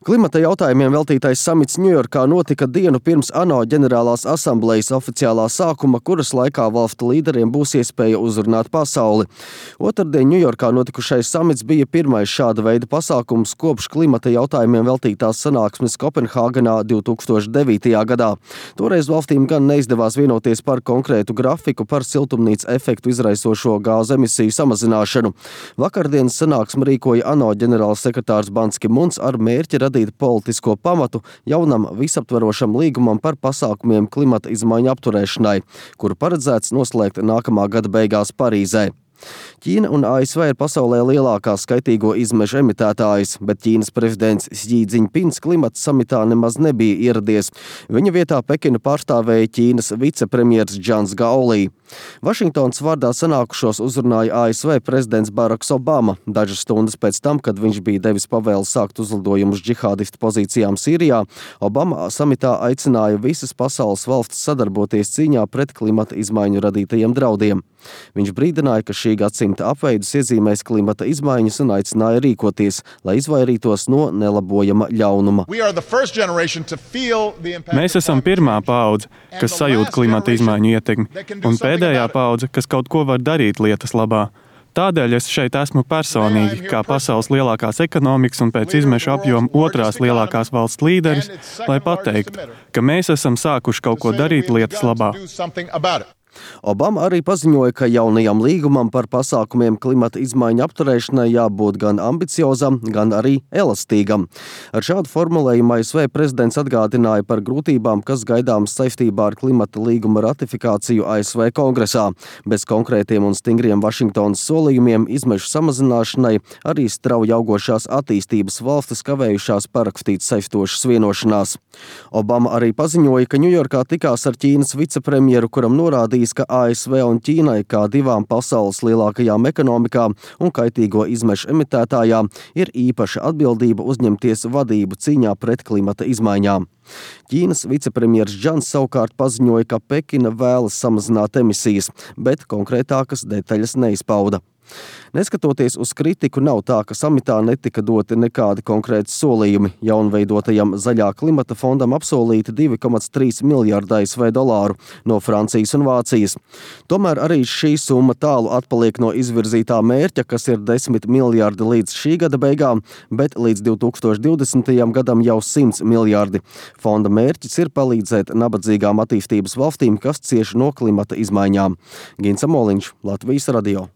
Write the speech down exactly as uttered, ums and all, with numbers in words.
Klimata jautājumiem veltītais samits Ņujorkā notika dienu pirms ANO ģenerālās asamblejas oficiālā sākuma, kuras laikā valstu līderiem būs iespēja uzrunāt pasauli. Otrdien Ņujorkā notikušais samits bija pirmais šāda veida pasākums kopš klimata jautājumiem veltītās sanāksmes Kopenhāgenā divi tūkstoši devītajā gadā. Toreiz valstīm gan neizdevās vienoties par konkrētu grafiku par siltumnīca efektu izraisošo gāzu emisiju samazināšanu. Vakardienas sanāksmi rīkoja ANO ģenerāls sekretārs Ban Ki Muns ar mērķi radīt politisko pamatu jaunam visaptverošam līgumam par pasākumiem klimata izmaiņu apturēšanai, kuru paredzēts noslēgt nākamā gada beigās Parīzē. Ķīna un A S V ir pasaulē lielākās skaitīgo izmešu emitētājas, bet Ķīnas prezidents Xi Jinpings klimata samitā nemaz nebija ieradies. Viņa vietā Pekinu pārstāvēja Ķīnas vicepremjers Džans Gaolī. Vašingtonas vārdā sanākušos uzrunāja A S V prezidents Baraks Obama dažas stundas pēc tam, kad viņš bija devis pavēli sākt uzlidojumus džihādistu pozīcijām Sīrijā. Obama samitā aicināja visas pasaules valstis sadarboties cīņā pret klimata izmaiņu radītajiem draudiem. Viņš brīdināja, ka šī gadsimta apveidus iezīmēs klimata izmaiņas un aicināja rīkoties, lai izvairītos no nelabojama ļaunuma. Mēs esam pirmā paudze, kas sajūt klimata izmaiņu ietekmi, un pēdējā paudze, kas kaut ko var darīt lietas labā. Tādēļ es šeit esmu personīgi, kā pasaules lielākās ekonomikas un pēc izmešu apjoma otrās lielākās valsts līderis, lai pateiktu, ka mēs esam sākuši kaut ko darīt lietas labā. Obama arī paziņoja, ka jaunajam līgumam par pasākumiem klimata izmaiņu apturēšanai jābūt gan ambiciozam, gan arī elastīgam. Ar šādu formulējumu A S V prezidents atgādināja par grūtībām, kas gaidāmas saistībā ar klimata līguma ratifikāciju A S V kongresā. Bez konkrētiem un stingriem Vašingtonas solījumiem izmešu samazināšanai arī strauji augošās attīstības valstis kavējušās parakstīt saistošas vienošanās. Obama arī paziņoja, ka Ņujorkā tikās ar Ķīnas vicepremjeru, kuram norādīja, ka A S V un Ķīnai kā divām pasaules lielākajām ekonomikām un kaitīgo izmešu emitētājām ir īpaša atbildība uzņemties vadību cīņā pret klimata izmaiņām. Ķīnas vicepremjers Džans savukārt paziņoja, ka Pekina vēlas samazināt emisijas, bet konkrētākas detaļas neizpauda. Neskatoties uz kritiku, nav tā, ka samitā netika doti nekādi konkrēti solījumi. Jaunveidotajam zaļā klimata fondam apsolīti divi komats trīs miljārdi A S V dolāru no Francijas un Vācijas. Tomēr arī šī summa tālu atpaliek no izvirzītā mērķa, kas ir desmit miljārdi līdz šī gada beigām, bet līdz divi tūkstoši divdesmitajam gadam jau simts miljārdi. Fonda mērķis ir palīdzēt nabadzīgām attīstības valstīm, kas cieši no klimata izmaiņām. Gins Amoliņš, Latvijas radio.